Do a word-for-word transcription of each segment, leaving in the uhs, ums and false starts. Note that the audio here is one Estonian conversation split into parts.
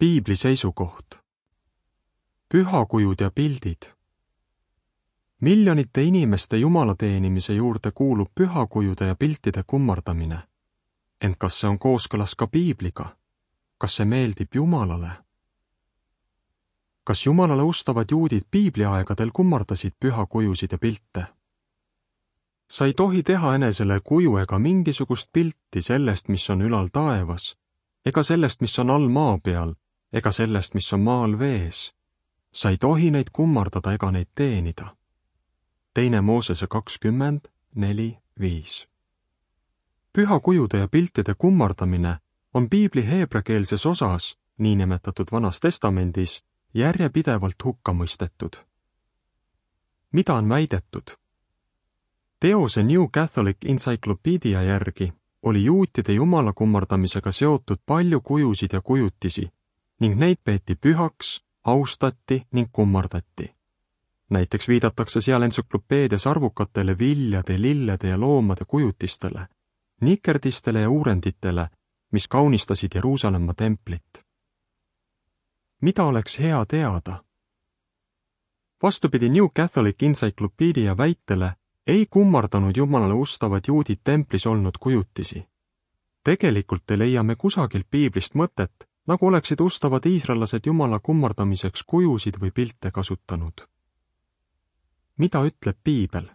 Piibli seisukoht. Pühakujud ja pildid. Miljonite inimeste jumala teenimise juurde kuulub pühakujude ja piltide kummardamine. Ent kas see on kooskõlas ka Piibliga? Kas see meeldib Jumalale? Kas Jumalale ustavad juudid Piibliaegadel kummardasid pühakujusid ja pilte? Sa ei tohi teha enesele kuju ega mingisugust pilti sellest, mis on ülal taevas, ega sellest, mis on all maa peal, ega sellest, mis on maal vees. Sa ei tohi neid kummardada ega neid teenida. Teine Moosese kakskümmend, neli, viis. Pühakujude ja piltide kummardamine on Piibli heebrekeelses osas, niinimetatud Vanas Testamendis, järjepidevalt hukka mõistetud. Mida on väidetud? Teose New Catholic Encyclopedia järgi oli juutide jumala kummardamisega seotud palju kujusid ja kujutisi ning neid peeti pühaks, austati ning kummardati. Näiteks viidatakse seal entsüklopeedias arvukatele viljade, lillede ja loomade kujutistele, nikerdistele ja uurenditele, mis kaunistasid Jeruusalemma templit. Mida oleks hea teada? Vastupidi New Catholic Encyclopedia väitele ei kummardanud Jumalale ustavad juudid templis olnud kujutisi. Tegelikult ei leia me kusagilt Piiblist mõtet, nagu oleksid ustavad iisraellased Jumala kummardamiseks kujusid või pilte kasutanud. Mida ütleb Piibel?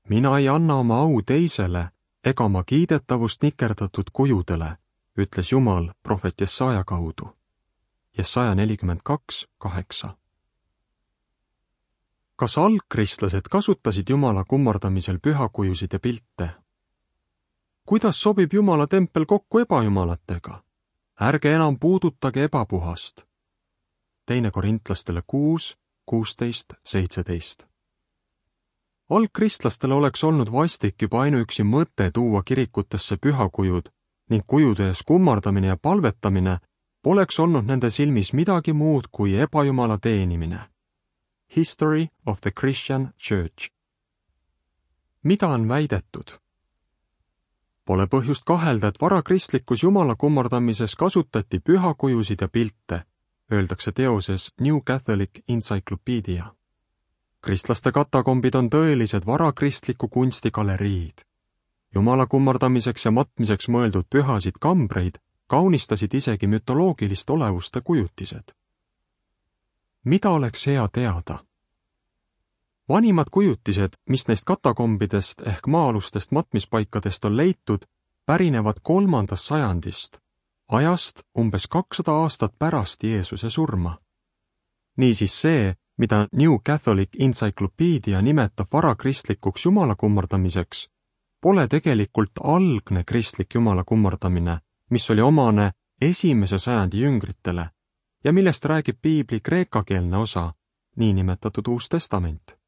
Mina ei anna oma au teisele ega oma kiidetavust nikerdatud kujudele, ütles Jumal prohvet Jesaja kaudu. Jesaja nelikümmend kaks, kaheksa. Kas algkristlased kasutasid Jumala kummardamisel pühakujusid ja pilte? Kuidas sobib Jumala tempel kokku ebajumalatega? Ärge enam puudutage ebapuhast. Teine Korintlastele kuus, kuusteist, seitseteist. Algkristlastele oleks olnud vastik juba ainuüksi mõte tuua kirikutesse pühakujud ning kujude ees kummardamine ja palvetamine poleks olnud nende silmis midagi muud kui ebajumala teenimine. History of the Christian Church. Mida on väidetud? Pole põhjust kahelda, et varakristlikus Jumala kummardamises kasutati pühakujusid ja pilte, öeldakse teoses New Catholic Encyclopedia. Kristlaste katakombid on tõelised varakristliku kunsti galeriid. Jumala kummardamiseks ja matmiseks mõeldud pühasid kambreid kaunistasid isegi mütoloogilist olevuste kujutised. Mida oleks hea teada? Vanimad kujutised, mis neist katakombidest ehk maa-alustest matmispaikadest on leitud, pärinevad kolmandast sajandist, ajast umbes kakssada aastat pärast Jeesuse surma. Niisiis see, mida New Catholic Encyclopedia nimetab varakristlikuks Jumala kummardamiseks, pole tegelikult algne kristlik Jumala kummardamine, mis oli omane esimese sajandi jüngritele ja millest räägib Piibli kreekakeelne osa, niinimetatud Uus Testament.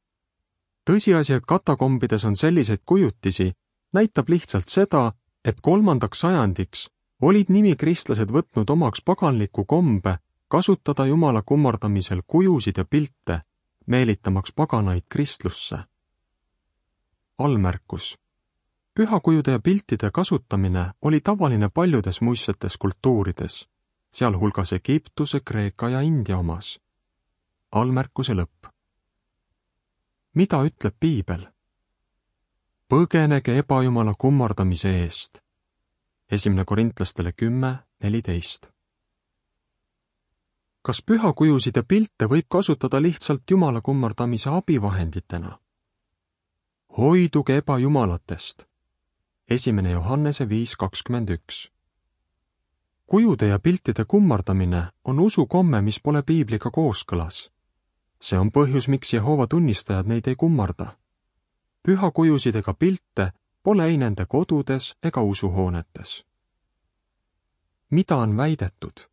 Tõsiasi, et katakombides on selliseid kujutisi, näitab lihtsalt seda, et kolmandaks sajandiks olid nimikristlased võtnud omaks paganliku kombe kasutada Jumala kummardamisel kujusid ja pilte, meelitamaks paganaid kristlusse. Allmärkus. Pühakujude ja piltide kasutamine oli tavaline paljudes muistsetes kultuurides, sealhulgas Egiptuse, Kreeka ja India omas. Allmärkuse lõpp. Mida ütleb Piibel? Põgenege ebajumala kummardamise eest. Esimene Korintlastele kümme, neliteist. Kas pühakujusid ja pilte võib kasutada lihtsalt Jumala kummardamise abivahenditena? Hoiduge ebajumalatest. Esimene Johannese viis, kakskümmend üks. Kujude ja piltide kummardamine on usukomme, mis pole Piibliga kooskõlas. See on põhjus, miks Jehova tunnistajad neid ei kummarda. Pühakujusid ega pilte pole ei nende kodudes ega usuhoonetes. Mida on väidetud?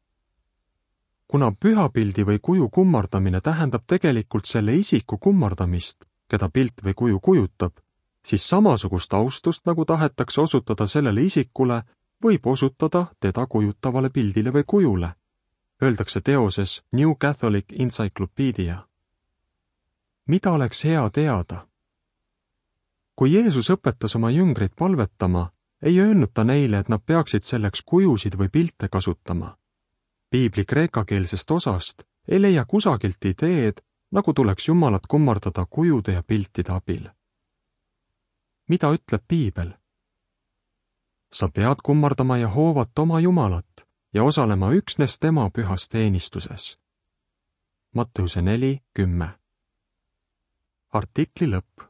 Kuna pühapildi või kuju kummardamine tähendab tegelikult selle isiku kummardamist, keda pilt või kuju kujutab, siis samasugust austust, nagu tahetakse osutada sellele isikule, võib osutada teda kujutavale pildile või kujule, öeldakse teoses New Catholic Encyclopedia. Mida oleks hea teada? Kui Jeesus õpetas oma jüngreid palvetama, ei öelnud ta neile, et nad peaksid selleks kujusid või pilte kasutama. Piibli kreekakeelsest osast ei leia kusagilt ideed, nagu tuleks Jumalat kummardada kujude ja piltide abil. Mida ütleb piibel? Sa pead kummardama Jehoovat oma Jumalat ja osalema üksnes tema pühas teenistuses. Matteuse neli kümme. Artikli lõpp.